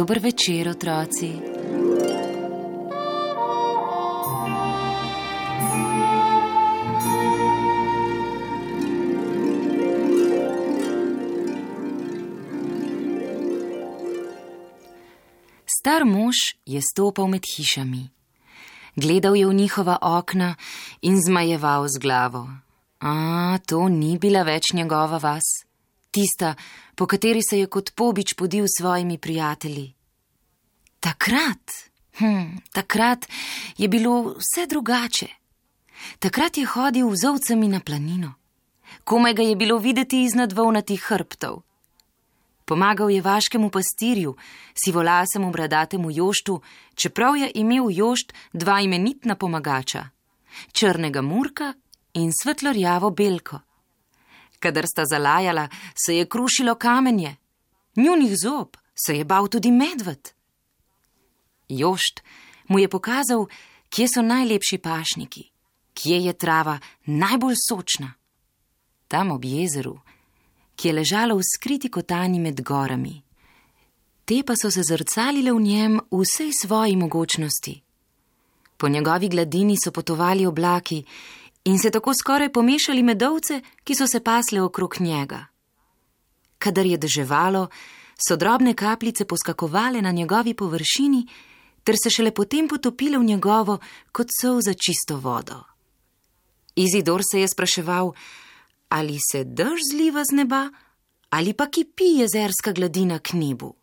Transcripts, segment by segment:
Dober večer, otroci. Star mož je stopal med hišami. Gledal je v njihova okna in zmajeval z glavo. To ni bila več njegova vas, tista, po kateri se je kot pobič podil s svojimi prijatelji. Takrat je bilo vse drugače. Takrat je hodil z ovcami na planino. Komaj ga je bilo videti iznad volnatih hrbtov. Pomagal je vaškemu pastirju, sivolasemu bradatemu joštu, čeprav je imel jošt dva imenitna pomagača, črnega Murka in svetlorjavo Belko. Kadar sta zalajala, se je krušilo kamenje. Njunih zob se je bal tudi medved. Jošt mu je pokazal, kje so najlepši pašniki, kje je trava najbolj sočna. Tam ob jezeru, ki je ležalo v skriti kotanji med gorami. Te pa so se zrcalile v njem v vsej svoji mogočnosti. Po njegovi gladini so potovali oblaki in se tako skoraj pomešali med ovce, ki so se pasle okrog njega. Kadar je deževalo, so drobne kapljice poskakovale na njegovi površini, ter se šele potem potopile v njegovo kot solza čisto vodo. Izidor se je spraševal, ali se dež zliva z neba, ali pa kipi jezerska gladina k nebu.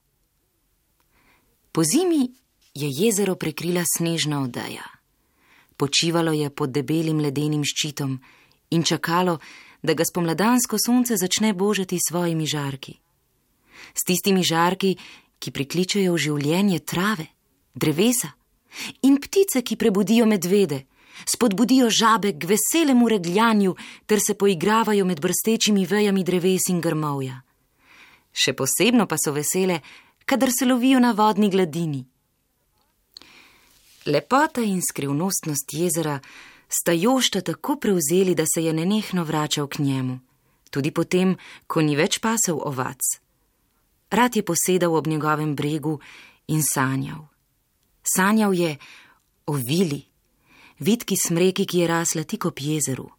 Po zimi je jezero prekrila snežna odeja. Počivalo je pod debelim ledenim ščitom in čakalo, da ga spomladansko sonce začne božati s svojimi žarki. S tistimi žarki, ki prikličejo v življenje trave, drevesa in ptice, ki prebudijo medvede, spodbudijo žabe k veselemu regljanju ter se poigravajo med brstečimi vejami dreves in grmovja. Še posebno pa so vesele, kadar se lovijo na vodni gladini. Lepota in skrivnostnost jezera sta jošta tako prevzeli, da se je nenehno vračal k njemu, tudi potem, ko ni več pasel ovac. Rad je posedal ob njegovem bregu in sanjal. Sanjal je o vili, vitki smreki, ki je rasla tik ob jezeru.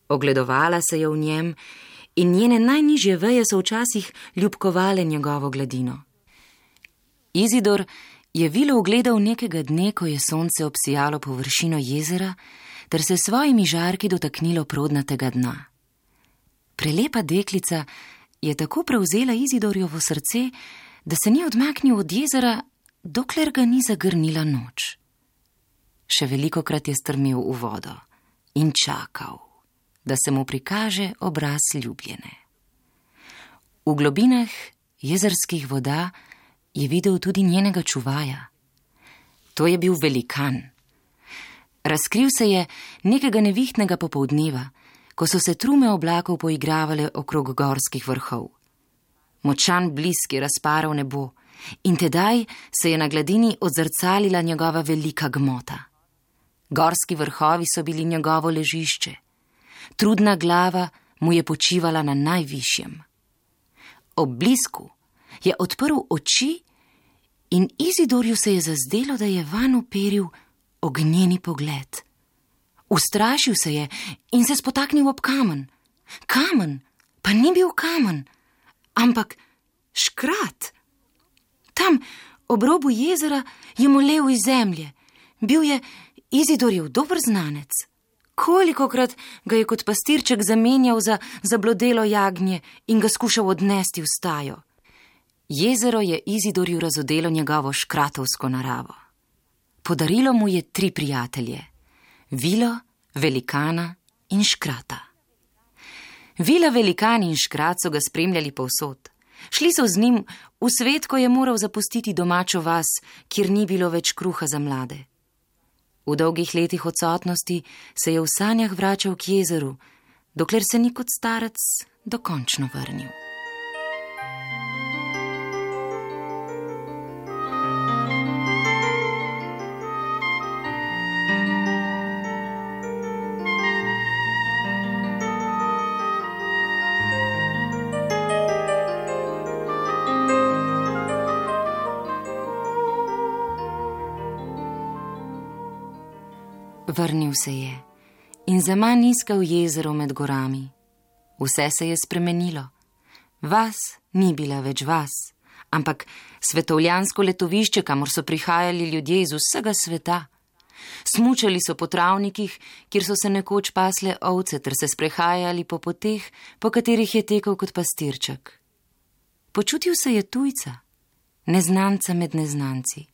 Ogledovala se je v njem in njene najnižje veje so včasih ljubkovale njegovo gladino. Izidor je vilo ugledal nekega dne, ko je sonce obsijalo površino jezera, ter se svojimi žarki dotaknilo prodnatega dna. Prelepa deklica je tako prevzela Izidorjevo srce, da se ni odmaknil od jezera, dokler ga ni zagrnila noč. Še velikokrat je strmel v vodo in čakal, da se mu prikaže obraz ljubljene. V globinah jezerskih voda je videl tudi njenega čuvaja. To je bil velikan. Razkril se je nekega nevihtnega popoldneva, ko so se trume oblakov poigravale okrog gorskih vrhov. Močan blisk je razparal nebo in tedaj se je na gladini odzrcalila njegova velika gmota. Gorski vrhovi so bili njegovo ležišče. Trudna glava mu je počivala na najvišjem. Ob blisku je odprl oči in Izidorju se je zazdelo, da je vanj uperil ognjeni pogled. Ustrašil se je in se spotaknil ob kamen. Kamen pa ni bil kamen, ampak škrat. Tam, ob robu jezera, je molel iz zemlje. Bil je Izidorjev dober znanec. Kolikokrat ga je kot pastirček zamenjal za zablodelo jagnje in ga skušal odnesti v stajo. Jezero je Izidorju razodelo njegovo škratovsko naravo. Podarilo mu je 3 prijatelje: vilo, velikana in škrata. Vila, velikan in škrat so ga spremljali povsod. Šli so z njim v svet, ko je moral zapustiti domačo vas, kjer ni bilo več kruha za mlade. V dolgih letih odsotnosti se je v sanjah vračal k jezeru, dokler se ni kot starec dokončno vrnil. Vrnil se je in zaman iskal jezero med gorami. Vse se je spremenilo. Vas ni bila več vas, ampak svetovljansko letovišče, kamor so prihajali ljudje iz vsega sveta. Smučali so po travnikih, kjer so se nekoč pasle ovce, ter se sprehajali po poteh, po katerih je tekel kot pastirček. Počutil se je tujca, neznanca med neznanci.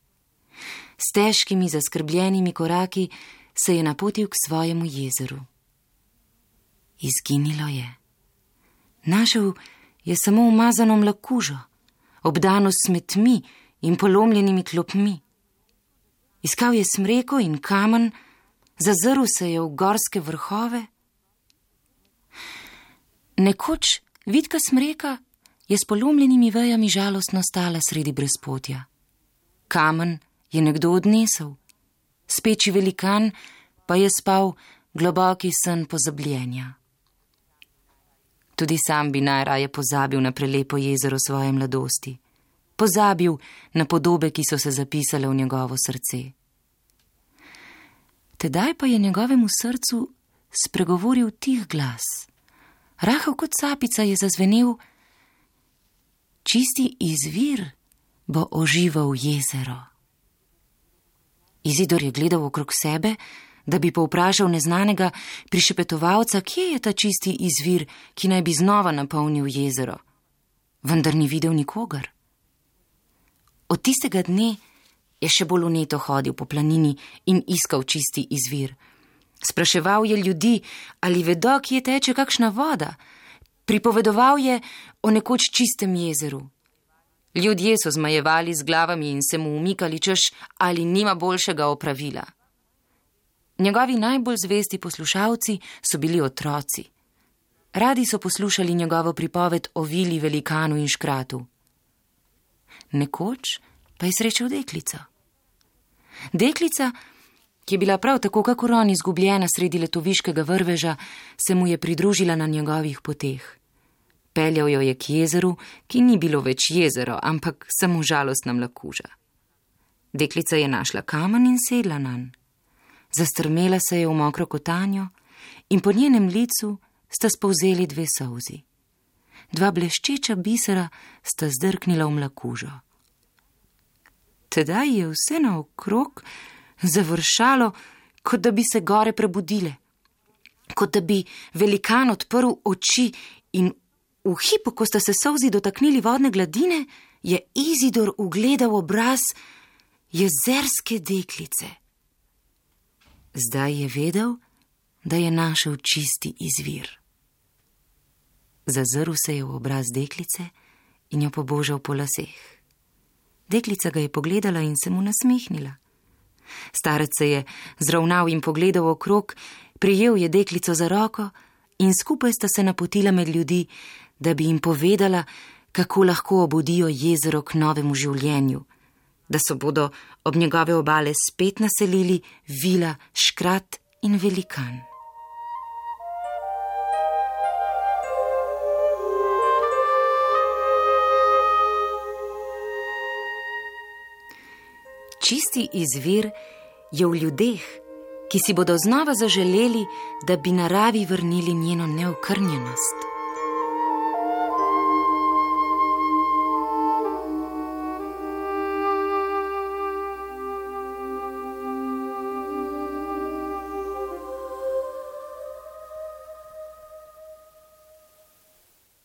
S težkimi, zaskrbljenimi koraki se je napotil k svojemu jezeru. Izginilo je. Našel je samo umazano mlakužo, obdano s smetmi in polomljenimi klopmi. Iskal je smreko in kamen, zazrl se je v gorske vrhove. Nekoč vitka smreka je s polomljenimi vejami žalostno stala sredi brezpotja. Kamen je nekdo odnesel, speči velikan pa je spal globoki sen pozabljenja. Tudi sam bi najraje pozabil na prelepo jezero svoje mladosti, pozabil na podobe, ki so se zapisale v njegovo srce. Tedaj pa je njegovemu srcu spregovoril tih glas. Rahel kot sapica je zazvenel: čisti izvir bo ožival jezero. Izidor je gledal okrog sebe, da bi povprašal neznanega prišepetovalca, kje je ta čisti izvir, ki naj bi znova napolnil jezero. Vendar ni videl nikogar. Od tistega dne je še bolj vneto hodil po planini in iskal čisti izvir. Spraševal je ljudi, ali vedo, kje teče kakšna voda. Pripovedoval je o nekoč čistem jezeru. Ljudje so zmajevali z glavami in se mu umikali, češ, ali nima boljšega opravila. Njegovi najbolj zvesti poslušalci so bili otroci. Radi so poslušali njegovo pripoved o vili, velikanu in škratu. Nekoč pa je srečal deklico. Deklica, ki je bila prav tako kakor on izgubljena sredi letoviškega vrveža, se mu je pridružila na njegovih poteh. Peljal jo je k jezeru, ki ni bilo več jezero, ampak samo žalostna mlakuža. Deklica je našla kamen in sedla nanj. Zastrmela se je v mokro kotanjo in po njenem licu sta spolzeli 2 solzi. 2 bleščeča bisera sta zdrknila v mlakužo. Tedaj je vse naokrog završalo, kot da bi se gore prebudile, kot da bi velikan odprl oči in v hipu, ko sta se solzi dotaknili vodne gladine, je Izidor ugledal obraz jezerske deklice. Zdaj je vedel, da je našel čisti izvir. Zazrl se je v obraz deklice in jo pobožal po laseh. Deklica ga je pogledala in se mu nasmehnila. Starec se je zravnal in pogledal okrog, prijel je deklico za roko in skupaj sta se napotila med ljudi, da bi jim povedala, kako lahko obudijo jezero k novemu življenju, da se bodo ob njegove obale spet naselili vila, škrat in velikan. Čisti izvir je v ljudeh, ki si bodo znova zaželeli, da bi naravi vrnili njeno neokrnjenost.